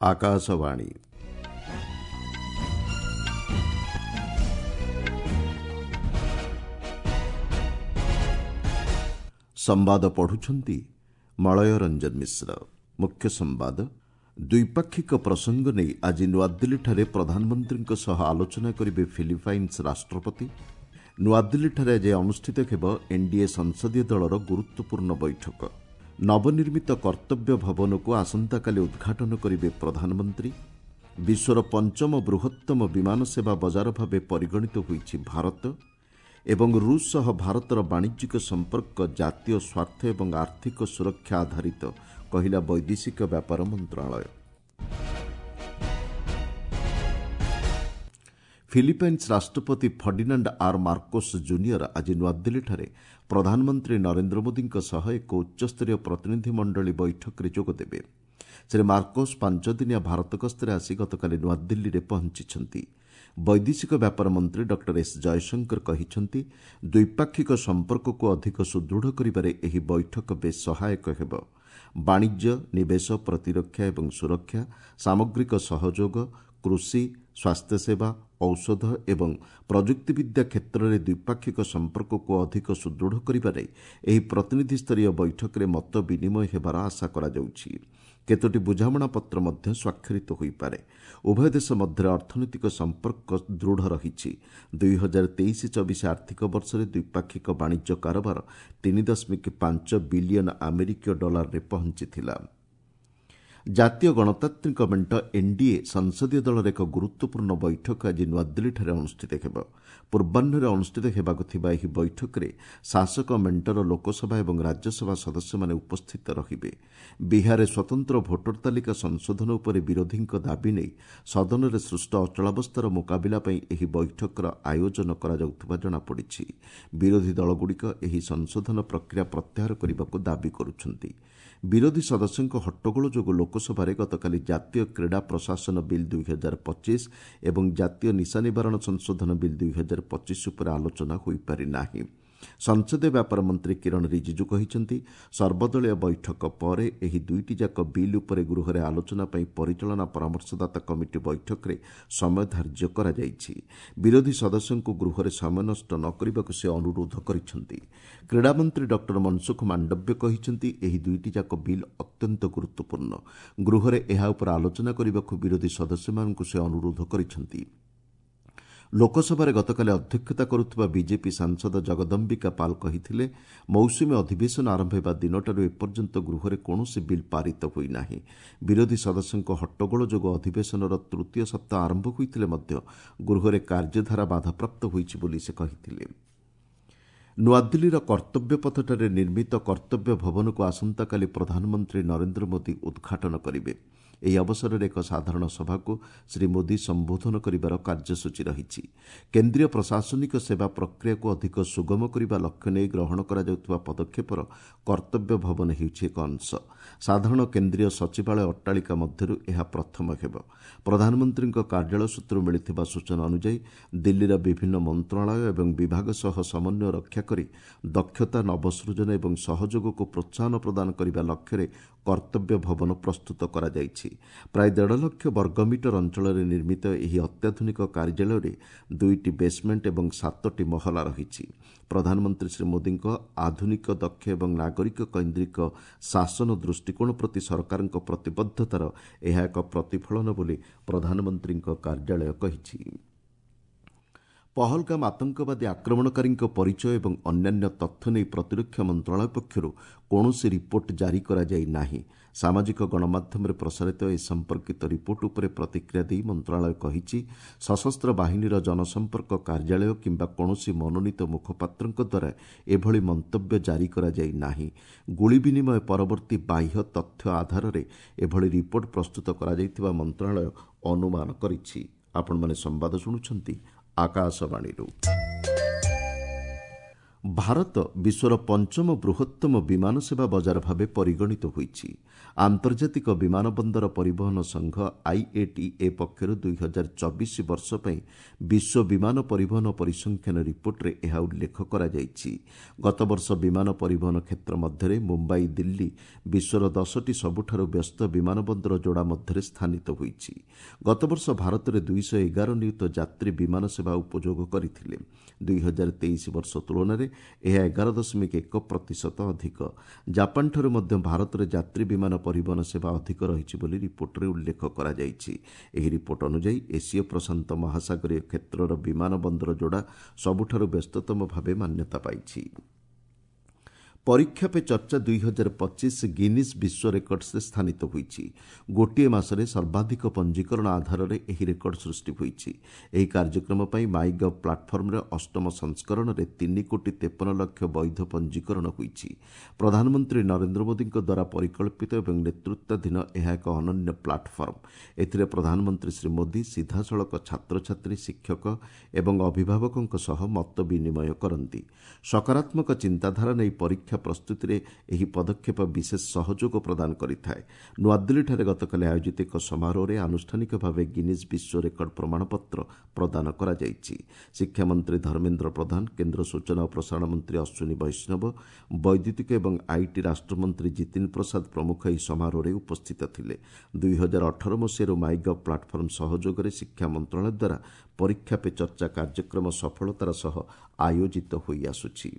ଆକାଶବାଣୀ। ସମ୍ବାଦ ପଢୁଛନ୍ତି ମଳୟ ରଞ୍ଜନ ମିଶ୍ର। ମୁଖ୍ୟ ସମ୍ବାଦ। ଦ୍ୱିପାକ୍ଷିକ ପ୍ରସଙ୍ଗ ନେଇ ଆଜି ନୂଆଦିଲ୍ଲୀଠାରେ ପ୍ରଧାନମନ୍ତ୍ରୀଙ୍କ ସହ ଆଲୋଚନା କରିବେ ଫିଲିପାଇନ୍ସ ରାଷ୍ଟ୍ରପତି। ନୂଆଦିଲ୍ଲୀଠାରେ ଆଜି ଅନୁଷ୍ଠିତ ହେବ ଏନ୍ଡିଏ ସଂସଦୀୟ ଦଳର ଗୁରୁତ୍ୱପୂର୍ଣ୍ଣ ବୈଠକ। ନବନିର୍ମିତ କର୍ତ୍ତବ୍ୟ ଭବନକୁ ଆସନ୍ତାକାଲି ଉଦ୍ଘାଟନ କରିବେ ପ୍ରଧାନମନ୍ତ୍ରୀ। ବିଶ୍ୱର ପଞ୍ଚମ ବୃହତ୍ତମ ବିମାନ ସେବା ବଜାର ଭାବେ ପରିଗଣିତ ହୋଇଛି ଭାରତ। ଏବଂ ରୁଷ ସହ ଭାରତର ବାଣିଜ୍ୟିକ ସମ୍ପର୍କ ଜାତୀୟ ସ୍ୱାର୍ଥ ଏବଂ ଆର୍ଥିକ ସୁରକ୍ଷା ଆଧାରିତ, କହିଲା ବୈଦେଶିକ ବ୍ୟାପାର ମନ୍ତ୍ରଣାଳୟ। ଫିଲିପାଇନ୍ସ ରାଷ୍ଟ୍ରପତି ଫର୍ଡିନାଣ୍ଡ ଆର୍ ମାର୍କୋସ୍ ଜୁନିୟର ଆଜି ନୂଆଦିଲ୍ଲୀଠାରେ ପ୍ରଧାନମନ୍ତ୍ରୀ ନରେନ୍ଦ୍ର ମୋଦିଙ୍କ ସହ ଏକ ଉଚ୍ଚସ୍ତରୀୟ ପ୍ରତିନିଧିମଣ୍ଡଳୀ ବୈଠକରେ ଯୋଗଦେବେ। ଶ୍ରୀ ମାର୍କୋସ୍ 5 ଦିନିଆ ଭାରତ ଗସ୍ତରେ ଆସି ଗତକାଲି ନୂଆଦିଲ୍ଲୀରେ ପହଞ୍ଚିଛନ୍ତି। ବୈଦେଶିକ ବ୍ୟାପାର ମନ୍ତ୍ରୀ ଡକ୍ଟର ଏସ୍ ଜୟଶଙ୍କର କହିଛନ୍ତି, ଦ୍ୱିପାକ୍ଷିକ ସମ୍ପର୍କକୁ ଅଧିକ ସୁଦୃଢ଼ କରିବାରେ ଏହି ବୈଠକ ବେଶ୍ ସହାୟକ ହେବ। ବାଣିଜ୍ୟ, ନିବେଶ, ପ୍ରତିରକ୍ଷା ଏବଂ ସୁରକ୍ଷା, ସାମଗ୍ରିକ ସହଯୋଗ, କୃଷି, ସ୍ୱାସ୍ଥ୍ୟସେବା, ଔଷଧ ଏବଂ ପ୍ରଯୁକ୍ତିବିଦ୍ୟା କ୍ଷେତ୍ରରେ ଦ୍ୱିପାକ୍ଷିକ ସମ୍ପର୍କକୁ ଅଧିକ ସୁଦୃଢ଼ କରିବା ନେଇ ଏହି ପ୍ରତିନିଧିସ୍ତରୀୟ ବୈଠକରେ ମତ ବିନିମୟ ହେବାର ଆଶା କରାଯାଉଛି। କେତୋଟି ବୁଝାମଣାପତ୍ର ମଧ୍ୟ ସ୍ୱାକ୍ଷରିତ ହୋଇପାରେ। ଉଭୟ ଦେଶ ମଧ୍ୟରେ ଅର୍ଥନୈତିକ ସମ୍ପର୍କ ଦୃଢ଼ ରହିଛି। 2023-24 ଆର୍ଥିକ ବର୍ଷରେ ଦ୍ୱିପାକ୍ଷିକ ବାଣିଜ୍ୟ କାରବାର 3.5 ବିଲିୟନ ଆମେରିକୀୟ ଡଲାରରେ ପହଞ୍ଚିଥିଲା। ଜାତୀୟ ଗଣତାନ୍ତ୍ରିକ ମେଣ୍ଟ ଏନ୍ଡିଏ ସଂସଦୀୟ ଦଳର ଏକ ଗୁରୁତ୍ୱପୂର୍ଣ୍ଣ ବୈଠକ ଆଜି ନୂଆଦିଲ୍ଲୀଠାରେ ଅନୁଷ୍ଠିତ ହେବ। ପୂର୍ବାହ୍ନରେ ଅନୁଷ୍ଠିତ ହେବାକୁ ଥିବା ଏହି ବୈଠକରେ ଶାସକ ମେଣ୍ଟର ଲୋକସଭା ଏବଂ ରାଜ୍ୟସଭା ସଦସ୍ୟମାନେ ଉପସ୍ଥିତ ରହିବେ। ବିହାରରେ ସ୍ୱତନ୍ତ୍ର ଭୋଟର ତାଲିକା ସଂଶୋଧନ ଉପରେ ବିରୋଧୀଙ୍କ ଦାବି ନେଇ ସଦନରେ ସୃଷ୍ଟ ଅଚଳାବସ୍ଥାର ମୁକାବିଲା ପାଇଁ ଏହି ବୈଠକର ଆୟୋଜନ କରାଯାଉଥିବା ଜଣାପଡ଼ିଛି। ବିରୋଧୀ ଦଳଗୁଡ଼ିକ ଏହି ସଂଶୋଧନ ପ୍ରକ୍ରିୟା ପ୍ରତ୍ୟାହାର କରିବାକୁ ଦାବି କରୁଛନ୍ତି। ବିରୋଧୀ ସଦସ୍ୟଙ୍କ ହଟ୍ଟଗୋଳ ଯୋଗୁଁ ଲୋକସଭାରେ ଗତକାଲି ଜାତୀୟ କ୍ରୀଡ଼ା ପ୍ରଶାସନ ବିଲ୍ 2025 ଏବଂ ଜାତୀୟ ନିଶା ନିବାରଣ ସଂଶୋଧନ ବିଲ୍ 2025 ଉପରେ ଆଲୋଚନା ହୋଇପାରିନାହିଁ। ସଂସଦୀୟ ବ୍ୟାପାର ମନ୍ତ୍ରୀ କିରଣ ରିଜିଜୁ କହିଛନ୍ତି, ସର୍ବଦଳୀୟ ବୈଠକ ପରେ ଏହି ଦୁଇଟି ଯାକ ବିଲ୍ ଉପରେ ଗୃହରେ ଆଲୋଚନା ପାଇଁ ପରିଚାଳନା ପରାମର୍ଶଦାତା କମିଟି ବୈଠକରେ ସମୟ ଧାର୍ଯ୍ୟ କରାଯାଇଛି। ବିରୋଧୀ ସଦସ୍ୟଙ୍କୁ ଗୃହରେ ସମୟ ନଷ୍ଟ ନ କରିବାକୁ ସେ ଅନୁରୋଧ କରିଛନ୍ତି। କ୍ରୀଡ଼ାମନ୍ତ୍ରୀ ଡକ୍ଟର ମନସୁଖ ମାଣ୍ଡବ୍ୟ କହିଛନ୍ତି, ଏହି ଦୁଇଟି ଯାକ ବିଲ୍ ଅତ୍ୟନ୍ତ ଗୁରୁତ୍ୱପୂର୍ଣ୍ଣ। ଗୃହରେ ଏହା ଉପରେ ଆଲୋଚନା କରିବାକୁ ବିରୋଧୀ ସଦସ୍ୟମାନଙ୍କୁ ସେ ଅନୁରୋଧ କରିଛନ୍ତି। ଲୋକସଭାରେ ଗତକାଲି ଅଧ୍ୟକ୍ଷତା କରୁଥିବା ବିଜେପି ସାଂସଦ ଜଗଦମ୍ବିକା ପାଲ୍ କହିଥିଲେ, ମୌସୁମୀ ଅଧିବେଶନ ଆରମ୍ଭ ହେବା ଦିନଠାରୁ ଏପର୍ଯ୍ୟନ୍ତ ଗୃହରେ କୌଣସି ବିଲ୍ ପାରିତ ହୋଇନାହିଁ। ବିରୋଧୀ ସଦସ୍ୟଙ୍କ ହଟ୍ଟଗୋଳ ଯୋଗୁଁ ଅଧିବେଶନର ତୃତୀୟ ସପ୍ତାହ ଆରମ୍ଭ ହୋଇଥିଲେ ମଧ୍ୟ ଗୃହରେ କାର୍ଯ୍ୟଧାରା ବାଧାପ୍ରାପ୍ତ ହୋଇଛି ବୋଲି ସେ କହିଥିଲେ। ନୂଆଦିଲ୍ଲୀର କର୍ତ୍ତବ୍ୟପଥଠାରେ ନିର୍ମିତ କର୍ତ୍ତବ୍ୟ ଭବନକୁ ଆସନ୍ତାକାଲି ପ୍ରଧାନମନ୍ତ୍ରୀ ନରେନ୍ଦ୍ର ମୋଦି ଉଦ୍ଘାଟନ କରିବେ। ଏହି ଅବସରରେ ଏକ ସାଧାରଣ ସଭାକୁ ଶ୍ରୀ ମୋଦି ସମ୍ବୋଧନ କରିବାର କାର୍ଯ୍ୟସୂଚୀ ରହିଛି। କେନ୍ଦ୍ରୀୟ ପ୍ରଶାସନିକ ସେବା ପ୍ରକ୍ରିୟାକୁ ଅଧିକ ସୁଗମ କରିବା ଲକ୍ଷ୍ୟ ନେଇ ଗ୍ରହଣ କରାଯାଉଥିବା ପଦକ୍ଷେପର କର୍ତ୍ତବ୍ୟ ଭବନ ହେଉଛି ଏକ ଅଂଶ। ସାଧାରଣ କେନ୍ଦ୍ରୀୟ ସଚିବାଳୟ ଅଟ୍ଟାଳିକା ମଧ୍ୟରୁ ଏହା ପ୍ରଥମ ହେବ। ପ୍ରଧାନମନ୍ତ୍ରୀଙ୍କ କାର୍ଯ୍ୟାଳୟ ସୂତ୍ରରୁ ମିଳିଥିବା ସୂଚନା ଅନୁଯାୟୀ, ଦିଲ୍ଲୀର ବିଭିନ୍ନ ମନ୍ତ୍ରଣାଳୟ ଏବଂ ବିଭାଗ ସହ ସମନ୍ୱୟ ରକ୍ଷା କରି ଦକ୍ଷତା, ନବସୃଜନ ଏବଂ ସହଯୋଗକୁ ପ୍ରୋତ୍ସାହନ ପ୍ରଦାନ କରିବା ଲକ୍ଷ୍ୟରେ କର୍ତ୍ତବ୍ୟ ଭବନ ପ୍ରସ୍ତୁତ କରାଯାଇଛି। ପ୍ରାୟ 1.5 ଲକ୍ଷ ବର୍ଗମିଟର ଅଞ୍ଚଳରେ ନିର୍ମିତ ଏହି ଅତ୍ୟାଧୁନିକ କାର୍ଯ୍ୟାଳୟରେ ଦୁଇଟି ବେସ୍ମେଣ୍ଟ ଏବଂ ସାତଟି ମହଲା ରହିଛି। ପ୍ରଧାନମନ୍ତ୍ରୀ ଶ୍ରୀ ମୋଦିଙ୍କ ଆଧୁନିକ, ଦକ୍ଷ ଏବଂ ନାଗରିକ କୈନ୍ଦ୍ରିକ ଶାସନ ଦୃଷ୍ଟିକୋଣ ପ୍ରତି ସରକାରଙ୍କ ପ୍ରତିବଦ୍ଧତାର ଏହା ଏକ ପ୍ରତିଫଳନ ବୋଲି ପ୍ରଧାନମନ୍ତ୍ରୀଙ୍କ କାର୍ଯ୍ୟାଳୟ କହିଛି। ପହଲଗାମ ଆତଙ୍କବାଦୀ ଆକ୍ରମଣକାରୀଙ୍କ ପରିଚୟ ଏବଂ ଅନ୍ୟାନ୍ୟ ତଥ୍ୟ ନେଇ ପ୍ରତିରକ୍ଷା ମନ୍ତ୍ରଣାଳୟ ପକ୍ଷରୁ କୌଣସି ରିପୋର୍ଟ ଜାରି କରାଯାଇ ନାହିଁ। ସାମାଜିକ ଗଣମାଧ୍ୟମରେ ପ୍ରସାରିତ ଏ ସମ୍ପର୍କିତ ରିପୋର୍ଟ ଉପରେ ପ୍ରତିକ୍ରିୟା ଦେଇ ମନ୍ତ୍ରଣାଳୟ କହିଛି, ସଶସ୍ତ୍ର ବାହିନୀର ଜନସମ୍ପର୍କ କାର୍ଯ୍ୟାଳୟ କିମ୍ବା କୌଣସି ମନୋନୀତ ମୁଖପାତ୍ରଙ୍କ ଦ୍ୱାରା ଏଭଳି ମନ୍ତବ୍ୟ ଜାରି କରାଯାଇ ନାହିଁ। ଗୁଳି ବିନିମୟ ପରବର୍ତ୍ତୀ ବାହ୍ୟ ତଥ୍ୟ ଆଧାରରେ ଏଭଳି ରିପୋର୍ଟ ପ୍ରସ୍ତୁତ କରାଯାଇଥିବା ମନ୍ତ୍ରଣାଳୟ ଅନୁମାନ କରିଛି। ଆପଣମାନେ ସମ୍ବାଦ ଶୁଣୁଛନ୍ତି ଆକାଶବାଣୀରୁ। ଭାରତ ବିଶ୍ୱର ପଞ୍ଚମ ବୃହତ୍ତମ ବିମାନ ସେବା ବଜାର ଭାବେ ପରିଗଣିତ ହୋଇଛି। ଆନ୍ତର୍ଜାତିକ ବିମାନ ବନ୍ଦର ପରିବହନ ସଂଘ ଆଇଏଟିଏ ପକ୍ଷରୁ 2024 ବର୍ଷ ପାଇଁ ବିଶ୍ୱ ବିମାନ ପରିବହନ ପରିସଂଖ୍ୟାନ ରିପୋର୍ଟରେ ଏହା ଉଲ୍ଲେଖ କରାଯାଇଛି। ଗତବର୍ଷ ବିମାନ ପରିବହନ କ୍ଷେତ୍ର ମଧ୍ୟରେ ମୁମ୍ବାଇ ଦିଲ୍ଲୀ ବିଶ୍ୱର 10ଟି ସବୁଠାରୁ ବ୍ୟସ୍ତ ବିମାନ ବନ୍ଦର ଯୋଡ଼ା ମଧ୍ୟରେ ସ୍ଥାନିତ ହୋଇଛି। ଗତବର୍ଷ ଭାରତରେ 211 ନିୟୁତ ଯାତ୍ରୀ ବିମାନ ସେବା ଉପଯୋଗ କରିଥିଲେ। 2023 ବର୍ଷ ତୁଳନାରେ ଏହା 11.1% ଅଧିକ। ଜାପାନଠାରୁ ମଧ୍ୟ ଭାରତରେ ଯାତ୍ରୀ ବିମାନ ପରିବହନ ସେବା ଅଧିକ ରହିଛି ବୋଲି ରିପୋର୍ଟରେ ଉଲ୍ଲେଖ କରାଯାଇଛି। ଏହି ରିପୋର୍ଟ ଅନୁଯାୟୀ ଏସୀୟ ପ୍ରଶାନ୍ତ ମହାସାଗରୀୟ କ୍ଷେତ୍ରର ବିମାନ ବନ୍ଦର ଯୋଡ଼ା ସବୁଠାରୁ ବ୍ୟସ୍ତତମ ଭାବେ ମାନ୍ୟତା ପାଇଛି। ପରୀକ୍ଷା ପେ ଚର୍ଚ୍ଚା 2025 ଗିନିଜ୍ ବିଶ୍ୱ ରେକର୍ଡସରେ ସ୍ଥାନିତ ହୋଇଛି। ଗୋଟିଏ ମାସରେ ସର୍ବାଧିକ ପଞ୍ଜୀକରଣ ଆଧାରରେ ଏହି ରେକର୍ଡ ସୃଷ୍ଟି ହୋଇଛି। ଏହି କାର୍ଯ୍ୟକ୍ରମ ପାଇଁ ମାଇ ଗଭ୍ ପ୍ଲାଟଫର୍ମରେ ଅଷ୍ଟମ ସଂସ୍କରଣରେ 3 କୋଟି 53 ଲକ୍ଷ ବୈଧ ପଞ୍ଜୀକରଣ ହୋଇଛି। ପ୍ରଧାନମନ୍ତ୍ରୀ ନରେନ୍ଦ୍ର ମୋଦିଙ୍କ ଦ୍ୱାରା ପରିକଳ୍ପିତ ଏବଂ ନେତୃତ୍ୱାଧୀନ ଏହା ଏକ ଅନନ୍ୟ ପ୍ଲାଟଫର୍ମ। ଏଥିରେ ପ୍ରଧାନମନ୍ତ୍ରୀ ଶ୍ରୀ ମୋଦି ସିଧାସଳଖ ଛାତ୍ରଛାତ୍ରୀ, ଶିକ୍ଷକ ଏବଂ ଅଭିଭାବକଙ୍କ ସହ ମତ ବିନିମୟ କରନ୍ତି। ସକାରାତ୍ମକ ଚିନ୍ତାଧାରା ନେଇ ପରୀକ୍ଷା ପ୍ରସ୍ତୁତିରେ ଏହି ପଦକ୍ଷେପ ବିଶେଷ ସହଯୋଗ ପ୍ରଦାନ କରିଥାଏ। ନୂଆଦିଲ୍ଲୀଠାରେ ଗତକାଲି ଆୟୋଜିତ ଏକ ସମାରୋହରେ ଆନୁଷ୍ଠାନିକ ଭାବେ ଗିନିଜ୍ ବିଶ୍ୱ ରେକର୍ଡ ପ୍ରମାଣପତ୍ର ପ୍ରଦାନ କରାଯାଇଛି। ଶିକ୍ଷାମନ୍ତ୍ରୀ ଧର୍ମେନ୍ଦ୍ର ପ୍ରଧାନ, କେନ୍ଦ୍ର ସୂଚନା ଓ ପ୍ରସାରଣ ମନ୍ତ୍ରୀ ଅଶ୍ୱିନୀ ବୈଷ୍ଣବ, ବୈଦ୍ୟୁତିକ ଏବଂ IT ରାଷ୍ଟ୍ରମନ୍ତ୍ରୀ ଜିତିନ ପ୍ରସାଦ ପ୍ରମୁଖ ଏହି ସମାରୋହରେ ଉପସ୍ଥିତ ଥିଲେ। 2018 ମସିହାରୁ ମାଇଗଭ୍ ପ୍ଲାଟଫର୍ମ ସହଯୋଗରେ ଶିକ୍ଷା ମନ୍ତ୍ରଣାଳୟ ଦ୍ୱାରା ପରୀକ୍ଷା ପେ ଚର୍ଚ୍ଚା କାର୍ଯ୍ୟକ୍ରମ ସଫଳତାର ସହ ଆୟୋଜିତ ହୋଇଆସୁଛି।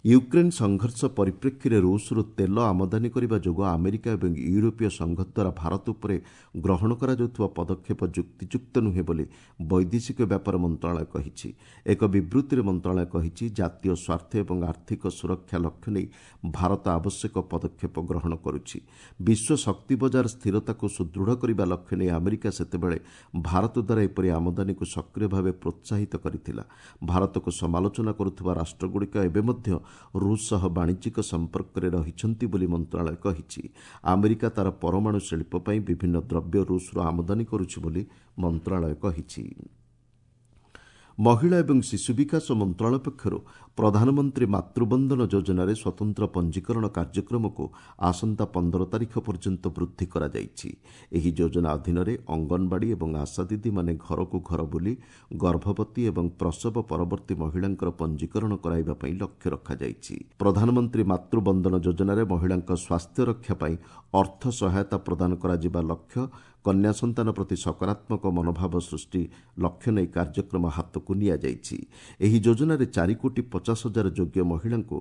ୟୁକ୍ରେନ୍ ସଂଘର୍ଷ ପରିପ୍ରେକ୍ଷୀରେ ରୁଷରୁ ତେଲ ଆମଦାନୀ କରିବା ଯୋଗୁଁ ଆମେରିକା ଏବଂ ୟୁରୋପୀୟ ସଂଘ ଦ୍ୱାରା ଭାରତ ଉପରେ ଗ୍ରହଣ କରାଯାଉଥିବା ପଦକ୍ଷେପ ଯୁକ୍ତିଯୁକ୍ତ ନୁହେଁ ବୋଲି ବୈଦେଶିକ ବ୍ୟାପାର ମନ୍ତ୍ରଣାଳୟ କହିଛି। ଏକ ବିବୃତ୍ତିରେ ମନ୍ତ୍ରଣାଳୟ କହିଛି, ଜାତୀୟ ସ୍ୱାର୍ଥ ଏବଂ ଆର୍ଥିକ ସୁରକ୍ଷା ଲକ୍ଷ୍ୟ ନେଇ ଭାରତ ଆବଶ୍ୟକ ପଦକ୍ଷେପ ଗ୍ରହଣ କରୁଛି। ବିଶ୍ୱ ଶକ୍ତି ବଜାର ସ୍ଥିରତାକୁ ସୁଦୃଢ଼ କରିବା ଲକ୍ଷ୍ୟ ନେଇ ଆମେରିକା ସେତେବେଳେ ଭାରତ ଦ୍ୱାରା ଏପରି ଆମଦାନୀକୁ ସକ୍ରିୟ ଭାବେ ପ୍ରୋତ୍ସାହିତ କରିଥିଲା। ଭାରତକୁ ସମାଲୋଚନା କରୁଥିବା ରାଷ୍ଟ୍ରଗୁଡ଼ିକ ଏବେ ମଧ୍ୟ ରୁଷ ସହ ବାଣିଜ୍ୟିକ ସମ୍ପର୍କରେ ରହିଛନ୍ତି ବୋଲି ମନ୍ତ୍ରଣାଳୟ କହିଛି। ଆମେରିକା ତା'ର ପରମାଣୁ ଶିଳ୍ପ ପାଇଁ ବିଭିନ୍ନ ଦ୍ରବ୍ୟ ରୁଷରୁ ଆମଦାନୀ କରୁଛି ବୋଲି ମନ୍ତ୍ରଣାଳୟ କହିଛି। ମହିଳା ଏବଂ ଶିଶୁ ବିକାଶ ମନ୍ତ୍ରଣାଳୟ ପକ୍ଷରୁ ପ୍ରଧାନମନ୍ତ୍ରୀ ମାତୃବନ୍ଦନ ଯୋଜନାରେ ସ୍ୱତନ୍ତ୍ର ପଞ୍ଜୀକରଣ କାର୍ଯ୍ୟକ୍ରମକୁ ଆସନ୍ତା 15 ତାରିଖ ପର୍ଯ୍ୟନ୍ତ ବୃଦ୍ଧି କରାଯାଇଛି। ଏହି ଯୋଜନା ଅଧୀନରେ ଅଙ୍ଗନବାଡ଼ି ଏବଂ ଆଶା ଦିଦିମାନେ ଘରକୁ ଘର ବୁଲି ଗର୍ଭବତୀ ଏବଂ ପ୍ରସବ ପରବର୍ତ୍ତୀ ମହିଳାଙ୍କର ପଞ୍ଜୀକରଣ କରାଇବା ପାଇଁ ଲକ୍ଷ୍ୟ ରଖାଯାଇଛି। ପ୍ରଧାନମନ୍ତ୍ରୀ ମାତୃବନ୍ଦନ ଯୋଜନାରେ ମହିଳାଙ୍କ ସ୍ୱାସ୍ଥ୍ୟ ରକ୍ଷା ପାଇଁ ଅର୍ଥ ସହାୟତା ପ୍ରଦାନ କରାଯିବା ଲକ୍ଷ୍ୟ, କନ୍ୟା ସନ୍ତାନ ପ୍ରତି ସକାରାତ୍ମକ ମନୋଭାବ ସୃଷ୍ଟି ଲକ୍ଷ୍ୟ ନେଇ କାର୍ଯ୍ୟକ୍ରମ ହାତକୁ ନିଆଯାଇଛି। ଏହି ଯୋଜନାରେ 4 କୋଟି 50 ହଜାର ଯୋଗ୍ୟ ମହିଳାଙ୍କୁ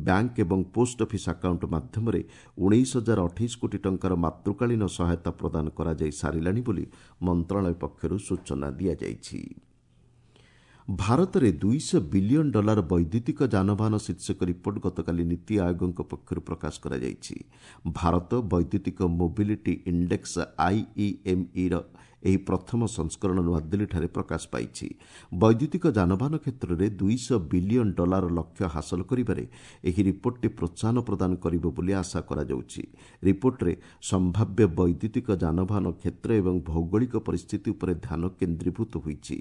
ବ୍ୟାଙ୍କ ଏବଂ ପୋଷ୍ଟ ଅଫିସ୍ ଆକାଉଣ୍ଟ ମାଧ୍ୟମରେ 19,028 କୋଟି ଟଙ୍କାର ମାତୃକାଳୀନ ସହାୟତା ପ୍ରଦାନ କରାଯାଇ ସାରିଲାଣି ବୋଲି ମନ୍ତ୍ରଣାଳୟ ପକ୍ଷରୁ ସୂଚନା ଦିଆଯାଇଛି। ଭାରତରେ $200 ବିଲିୟନ ବୈଦ୍ୟୁତିକ ଯାନବାହନ ଶୀର୍ଷକ ରିପୋର୍ଟ ଗତକାଲି ନୀତି ଆୟୋଗଙ୍କ ପକ୍ଷରୁ ପ୍ରକାଶ କରାଯାଇଛି। ଭାରତ ବୈଦ୍ୟୁତିକ ମୋବିଲିଟି ଇଣ୍ଡେକ୍ସ ଆଇଇଏମ୍ଇର ଏହି ପ୍ରଥମ ସଂସ୍କରଣ ନୂଆଦିଲ୍ଲୀଠାରେ ପ୍ରକାଶ ପାଇଛି। ବୈଦ୍ୟୁତିକ ଯାନବାହନ କ୍ଷେତ୍ରରେ $200 ବିଲିୟନ ଲକ୍ଷ୍ୟ ହାସଲ କରିବାରେ ଏହି ରିପୋର୍ଟଟି ପ୍ରୋତ୍ସାହନ ପ୍ରଦାନ କରିବ ବୋଲି ଆଶା କରାଯାଉଛି। ରିପୋର୍ଟରେ ସମ୍ଭାବ୍ୟ ବୈଦ୍ୟୁତିକ ଯାନବାହନ କ୍ଷେତ୍ର ଏବଂ ଭୌଗୋଳିକ ପରିସ୍ଥିତି ଉପରେ ଧ୍ୟାନ କେନ୍ଦ୍ରୀଭୂତ ହୋଇଛି।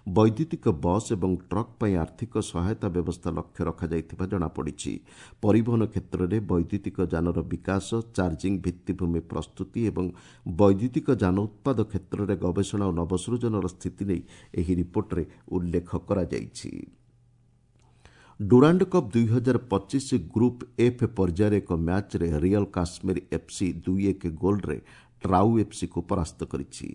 ବୈଦ୍ୟୁତିକ ବସ୍ ଏବଂ ଟ୍ରକ୍ ପାଇଁ ଆର୍ଥିକ ସହାୟତା ବ୍ୟବସ୍ଥା ଲକ୍ଷ୍ୟ ରଖାଯାଇଥିବା ଜଣାପଡ଼ିଛି। ପରିବହନ କ୍ଷେତ୍ରରେ ବୈଦ୍ୟୁତିକ ଯାନର ବିକାଶ, ଚାର୍ଜିଂ ଭିତ୍ତିଭୂମି ପ୍ରସ୍ତୁତି ଏବଂ ବୈଦ୍ୟୁତିକ ଯାନ ଉତ୍ପାଦ କ୍ଷେତ୍ରରେ ଗବେଷଣା ଓ ନବସୃଜନର ସ୍ଥିତି ନେଇ ଏହି ରିପୋର୍ଟରେ ଉଲ୍ଲେଖ କରାଯାଇଛି। ଡୁରାଣ୍ଡ କପ୍ 2025 ଗ୍ରୁପ୍ ଏଫ୍ ପର୍ଯ୍ୟାୟରେ ଏକ ମ୍ୟାଚ୍ରେ ରିଅଲ୍ କାଶ୍ମୀର ଏଫ୍ସି 2-1 ଗୋଲ୍ରେ ଟ୍ରାଉ ଏଫ୍ସିକୁ ପରାସ୍ତ କରିଛି।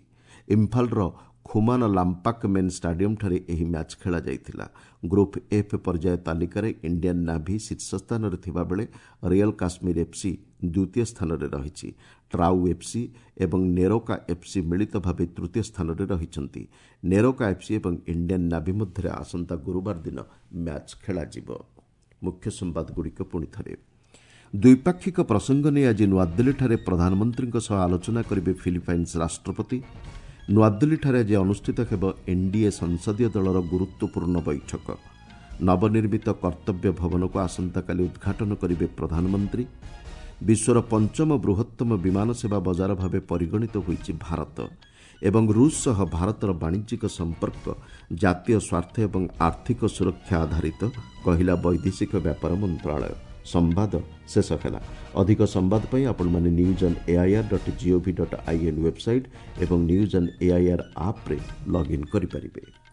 ଇମ୍ଫାଲର ଖୁମାନ ଲାମ୍ପାକ୍ ମେନ୍ ଷ୍ଟାଡିୟମ୍ଠାରେ ଏହି ମ୍ୟାଚ୍ ଖେଳାଯାଇଥିଲା। ଗ୍ରୁପ୍ ଏଫ୍ ପର୍ଯ୍ୟାୟ ତାଲିକାରେ ଇଣ୍ଡିଆନ୍ ନାଭି ଶୀର୍ଷ ସ୍ଥାନରେ ଥିବାବେଳେ ରିଅଲ୍ କାଶ୍ମୀର ଏଫ୍ସି ଦ୍ୱିତୀୟ ସ୍ଥାନରେ ରହିଛି। ଟ୍ରାଉ ଏଫ୍ସି ଏବଂ ନେରୋକା ଏଫ୍ସି ମିଳିତ ଭାବେ ତୃତୀୟ ସ୍ଥାନରେ ରହିଛନ୍ତି। ନେରୋକା ଏଫ୍ସି ଏବଂ ଇଣ୍ଡିଆନ୍ ନାଭି ମଧ୍ୟରେ ଆସନ୍ତା ଗୁରୁବାର ଦିନ ମ୍ୟାଚ୍ ଖେଳାଯିବ। ମୁଖ୍ୟ ସମ୍ବାଦଗୁଡ଼ିକ ପୁଣି ଥରେ। ଦ୍ୱିପାକ୍ଷିକ ପ୍ରସଙ୍ଗ ନେଇ ଆଜି ନୂଆଦିଲ୍ଲୀଠାରେ ପ୍ରଧାନମନ୍ତ୍ରୀଙ୍କ ସହ ଆଲୋଚନା କରିବେ ଫିଲିପାଇନ୍ସ ରାଷ୍ଟ୍ରପତି। ନୂଆଦିଲ୍ଲୀଠାରେ ଆଜି ଅନୁଷ୍ଠିତ ହେବ ଏନ୍ଡିଏ ସଂସଦୀୟ ଦଳର ଗୁରୁତ୍ୱପୂର୍ଣ୍ଣ ବୈଠକ। ନବନିର୍ମିତ କର୍ତ୍ତବ୍ୟ ଭବନକୁ ଆସନ୍ତାକାଲି ଉଦ୍ଘାଟନ କରିବେ ପ୍ରଧାନମନ୍ତ୍ରୀ। ବିଶ୍ୱର ପଞ୍ଚମ ବୃହତ୍ତମ ବିମାନ ସେବା ବଜାର ଭାବେ ପରିଗଣିତ ହୋଇଛି ଭାରତ। ଏବଂ ରୁଷ ସହ ଭାରତର ବାଣିଜ୍ୟିକ ସମ୍ପର୍କ ଜାତୀୟ ସ୍ୱାର୍ଥ ଏବଂ ଆର୍ଥିକ ସୁରକ୍ଷା ଆଧାରିତ, କହିଲା ବୈଦେଶିକ ବ୍ୟାପାର ମନ୍ତ୍ରଣାଳୟ। ସମ୍ବାଦ ଶେଷ ହେଲା। ଅଧିକ ସମ୍ବାଦ ପାଇଁ ଆପଣମାନେ news on AIR dot GOV dot IN website ଏବଂ ନ୍ୟୁଜ୍ ଅନ୍ ଏଆଇଆର୍ ଆପ୍ରେ ଲଗ୍ଇନ୍ କରିପାରିବେ।